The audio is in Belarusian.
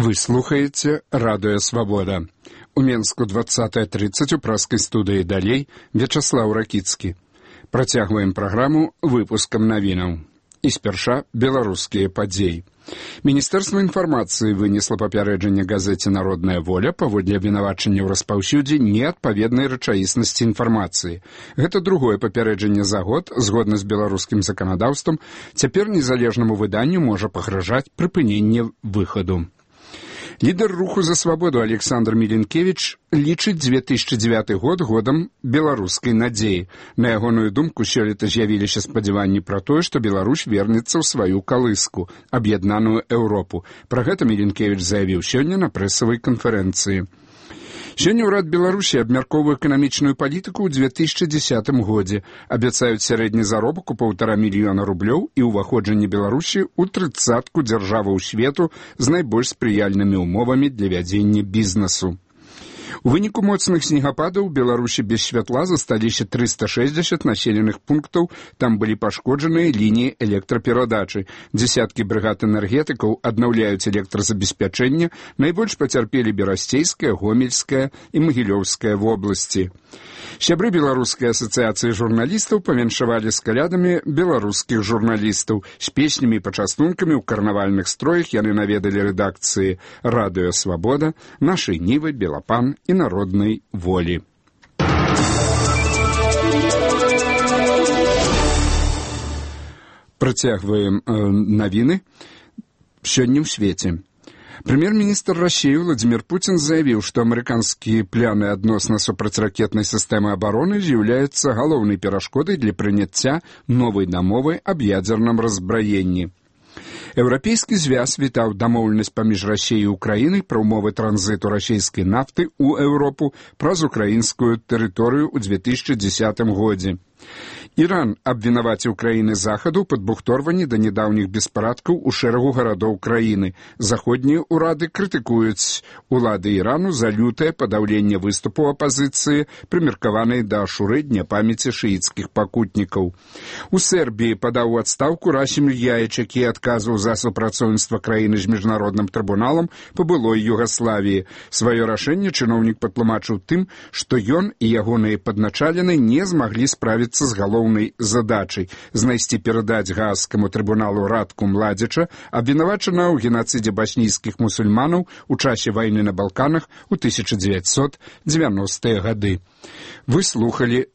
Вы слухаеце Радыё Свабода. У Менску 20:30 у праскай студыі далей Вячаслаў Ракіцкі. Працягваем праграму выпускам навінаў. І спярша беларускія падзеі. Міністэрства інфармацыі вынесла папярэджанне газеце «Народная воля» паводле абвінавачання ў распаўсюдзе неадпаведнай рэчаіснасці інфармацыі. Гэта другое папярэджанне за год, згодна з беларускім заканадаўствам, цяпер незалежнаму выданню можа пагражаць прыпыненне выхаду. Лідар руху за свабоду Александр Міленкевіч лічыць 2009 год годам беларускай надзеі. На ягоную думку, сёлета з'явіліся спадзяванні пра тое, што Беларусь вернецца ў сваю калыску, аб'яднаную Еўропу. Пра гэта Міленкевіч заявіў сёння на прэсавай канферэнцыі. Сёння ўрад Беларусі абмяркоўвае эканамічную палітыку ў 2010 годзе. Абяцаюць сярэдні заробак у 1,5 мільёна рублёў і ўваходжанне Беларусі ў 30-ку дзяржаваў свету з найбольш спрыяльнымі ўмовамі для вядзення бізнесу. У выніку моцных снегападаў у Беларусі без святла засталіся 360 населеных пунктаў, там былі пашкоджаныя лініі электраперадачы. Дзесяткі брыгад энергетыкаў аднаўляюць электразабеспячэнне, найбольш пацярпелі Берасцейская, Гомельская і Магілёўская вобласці. Сябры Беларускай асацыяцыі журналістаў павіншавалі з калядамі беларускіх журналістаў. З песнямі і пачастункамі ў карнавальных строях яны наведалі рэдакцыі «Радыё Свабода», «Нашай Нівы», «Белапан» і «Народнай волі». Працягваем навіны сёння ў свеце. Прэм'ер-міністр Расіі Владзімір Пуцін заявіў, што амерыканскія пляны адносна супрацьракетнай сістэмы абароны з'яўляюцца галоўнай перашкодай для прыняцця новай дамовы аб ядзерным раззбраенні. Еўрапейскі звяз вітаў дамоўленасць паміж Расіяй і Украінай пра ўмовы транзіту расійскай нафты ў Еўропу праз украінскую тэрыторыю ў 2010 годзе. Іран абвінаваціў краіны захаду ў падбухторванні да нядаўніх беспарадкаў у шэрагу гарадоў краіны. Заходнія ўрады крытыкуюць улады Ірану за лютае падаўленне выступу апазіцыі, прымеркаванай да ашуры дня памяці шыіцкіх пакутнікаў. У Сербіі падаў у адстаўку Расім Ільяіч, які адказваў за супрацоўніцтва краіны з міжнародным трыбуналам па былой Югаславіі. Сваё рашэнне чыноўнік патлумачыў тым, што ён і ягоныя падначалены не змаглі справіцца з галоўнай задачай знайсці перадаць гаагскаму трыбуналу Радку Младзіча, абвінавачанага ў генацыдзе баснійскіх мусульманаў у часе вайны на Балканах у 1990-е гады. Вы слухалі